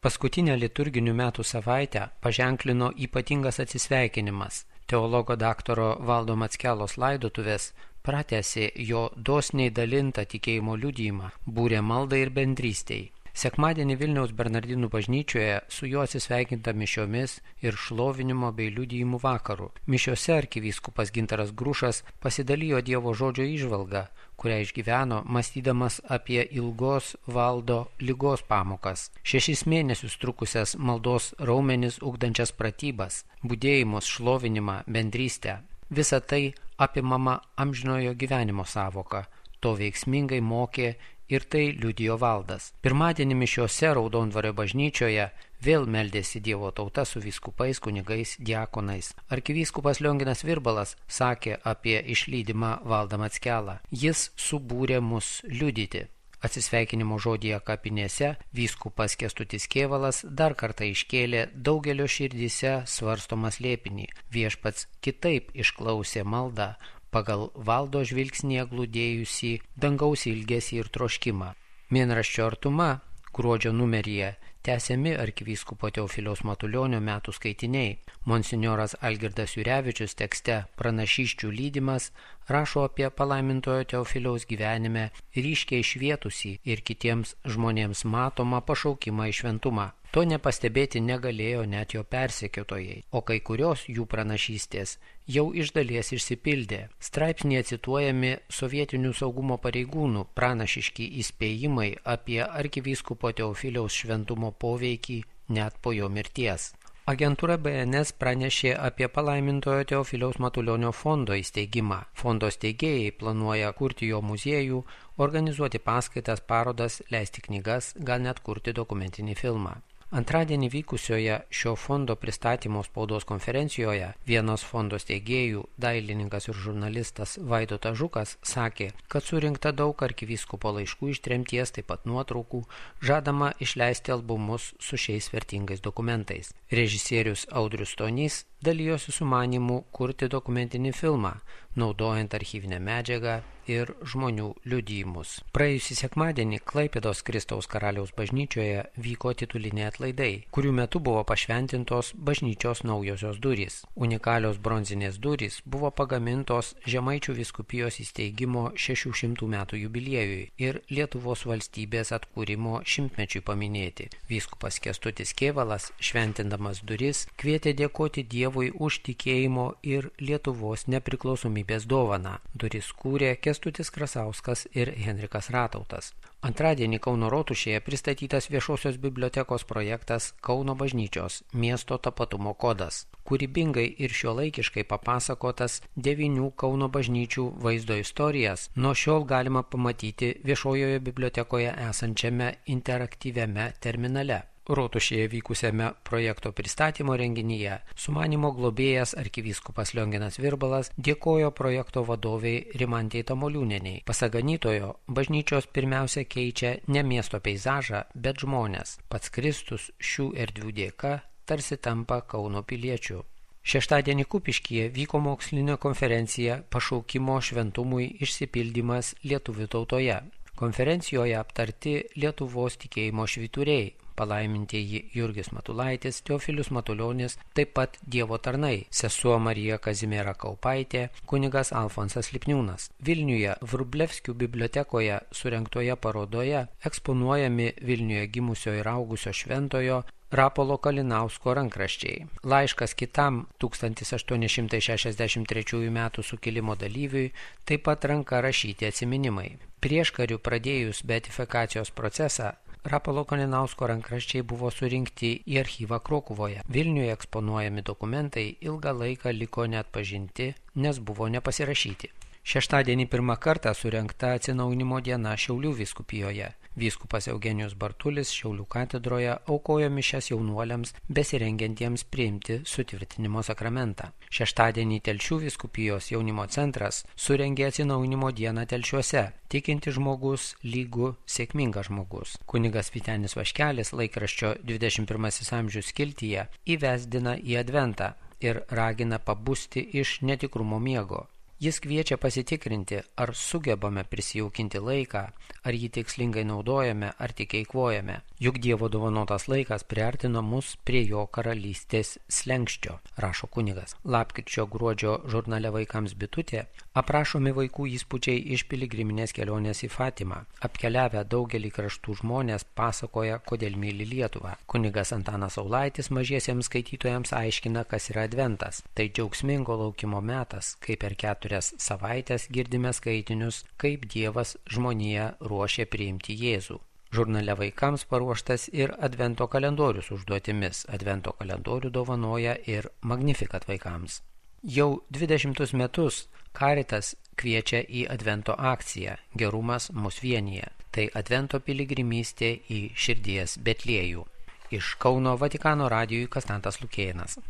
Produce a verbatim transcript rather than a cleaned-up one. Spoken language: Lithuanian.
Paskutinę liturginių metų savaitę paženklino ypatingas atsisveikinimas. Teologo daktaro Valdo Mackelos laidotuvės pratęsė jo dosniai dalintą tikėjimo liudijimą, būrė maldai ir bendrystei. Sekmadienį Vilniaus Bernardinų bažnyčioje su juo atsisveikinta mišiomis ir šlovinimo bei liudijimų vakaru. Mišiose arkivyskupas Gintaras Grušas pasidalijo Dievo žodžio įžvalgą, kurią išgyveno, mąstydamas apie ilgos Valdo ligos pamokas, šešis mėnesius trukusias maldos raumenis ugdančias pratybas, budėjimus, šlovinimą, bendrystę. Visa tai apimama amžinojo gyvenimo sąvoka, to veiksmingai mokė ir tai liudijo Valdas. Pirmadienį mišiose Raudondvario bažnyčioje vėl meldėsi Dievo tauta su vyskupais, kunigais, diakonais. Arkivyskupas Lionginas Virbalas sakė apie išlydimą Valdą Mackelą. Jis subūrė mus liudyti. Atsisveikinimo žodyje kapinėse vyskupas Kęstutis Kėvalas dar kartą iškėlė daugelio širdyse svarstomą slėpinį. Viešpats kitaip išklausė maldą pagal Valdo žvilgsnėje glūdėjusį dangaus ilgesį ir troškimą. Mėnraščio Artuma gruodžio numeryje tęsiami arkivyskupo Teofiliaus Matulionio metų skaitiniai. Monsinjoras Algirdas Jurevičius tekste Pranašysčių lydimas rašo apie palaimintojo Teofiliaus gyvenime ryškiai švietusį ir kitiems žmonėms matomą pašaukimą į šventumą. To nepastebėti negalėjo net jo persekiotojai, o kai kurios jų pranašystės jau iš dalies išsipildė. Straipsnėje cituojami sovietinių saugumo pareigūnų pranašiški įspėjimai apie arkivyskupo Teofiliaus šventumo poveikį net po jo mirties. Agentūra B N S pranešė apie palaimintojo Teofiliaus Matulionio fondo įsteigimą. Fondo steigėjai planuoja kurti jo muziejų, organizuoti paskaitas, parodas, leisti knygas, gal net kurti dokumentinį filmą. Antradienį vykusioje šio fondo pristatymo spaudos konferencijoje vienos fondo steigėjų, dailininkas ir žurnalistas Vaidotas Žukas sakė, kad surinkta daug arkivyskupo laiškų iš tremties, taip pat nuotraukų, žadama išleisti albumus su šiais vertingais dokumentais. Režisierius Audrius Stonys dalijosi sumanymu kurti dokumentinį filmą, naudojant archyvinę medžiagą ir žmonių liudijimus. Praėjusį sekmadienį Klaipėdos Kristaus Karaliaus bažnyčioje vyko tituliniai atlaidai, kurių metu buvo pašventintos bažnyčios naujosios durys. Unikalios bronzinės durys buvo pagamintos Žemaičių vyskupijos įsteigimo šešių šimtų metų jubiliejui ir Lietuvos valstybės atkūrimo šimtmečiui paminėti. Vyskupas Kęstutis Kėvalas, šventindamas duris, kvietė dėkoti Dievui už tikėjimo ir Lietuvos nepriklausomybės dovaną. Duris kūrė Kęstutis Krasauskas ir Henrikas Ratautas. Antradienį Kauno Rotušėje pristatytas viešosios bibliotekos projektas Kauno bažnyčios miesto tapatumo kodas. Kūrybingai ir šiuolaikiškai papasakotas devynių Kauno bažnyčių vaizdo istorijas nuo šiol galima pamatyti viešojoje bibliotekoje esančiame interaktyviame terminale. Rotušėje vykusiame projekto pristatymo renginyje sumanymo globėjas arkivyskupas Lionginas Virbalas dėkojo projekto vadoviai Rimantei Tamoliūnienei. Pasak ganytojo, bažnyčios pirmiausia keičia ne miesto peizažą, bet žmonės. Pats Kristus šių erdvių dėka tarsi tampa Kauno piliečiu. Šeštadienį Kupiškyje vyko mokslinė konferencija Pašaukimo šventumui išsipildymas lietuvių tautoje. Konferencijoje aptarti Lietuvos tikėjimo švyturiai, palaimintieji Jurgis Matulaitis, Teofilius Matulionis, taip pat Dievo tarnai, sesuo Marija Kazimiera Kaupaitė, kunigas Alfonsas Lipniūnas. Vilniuje Vrublevskių bibliotekoje surengtoje parodoje eksponuojami Vilniuje gimusio ir augusio šventojo Rapolo Kalinausko rankraščiai. Laiškas kitam tūkstantis aštuoni šimtai šešiasdešimt trečiųjų metų sukilimo dalyviui, taip pat ranka rašyti atsiminimai. Prieškariu pradėjus beatifikacijos procesą, Rapolo Kalinausko rankraščiai buvo surinkti į archyvą Krokuvoje. Vilniuje eksponuojami dokumentai ilgą laiką liko neatpažinti, nes buvo nepasirašyti. Šeštadienį pirmą kartą surengta atsinaujinimo diena Šiaulių vyskupijoje. Vyskupas Eugenijus Bartulis Šiaulių katedroje aukojo mišias jaunuoliams besirengiantiems priimti sutvirtinimo sakramentą. Šeštadienį Telšių vyskupijos jaunimo centras surengė atsinaujinimo dieną Telšiuose. Tikinti žmogus lygu sėkmingas žmogus. Kunigas Vytenis Vaškelis laikraščio dvidešimt pirmasis amžius skiltyje įvesdina į adventą ir ragina pabusti iš netikrumo miego. Jis kviečia pasitikrinti, ar sugebame prisijaukinti laiką, ar jį tikslingai naudojame, ar tik eikvojame. Juk Dievo dovanotas laikas priartino mus prie jo karalystės slenkščio, rašo kunigas. Lapkričio gruodžio žurnale Vaikams bitutė aprašomi vaikų įspūdžiai iš piligriminės kelionės į Fatimą. Apkeliavę daugelį kraštų žmonės pasakoja, kodėl myli Lietuvą. Kunigas Antanas Saulaitis mažiesiems skaitytojams aiškina, kas yra adventas. Tai džiaugsmingo laukimo metas, kai per keturias savaitės girdime skaitinius, kaip Dievas žmoniją ruošia priimti Jėzų. Žurnale Vaikams paruoštas ir advento kalendorius užduotimis. Advento kalendorių dovanoja ir Magnificat vaikams. Jau dvidešimtus metus Caritas kviečia į advento akciją Gerumas mus vienija. Tai advento piligrimystė į širdies Betliejų. Iš Kauno Vatikano radijui Konstantas Lukėnas.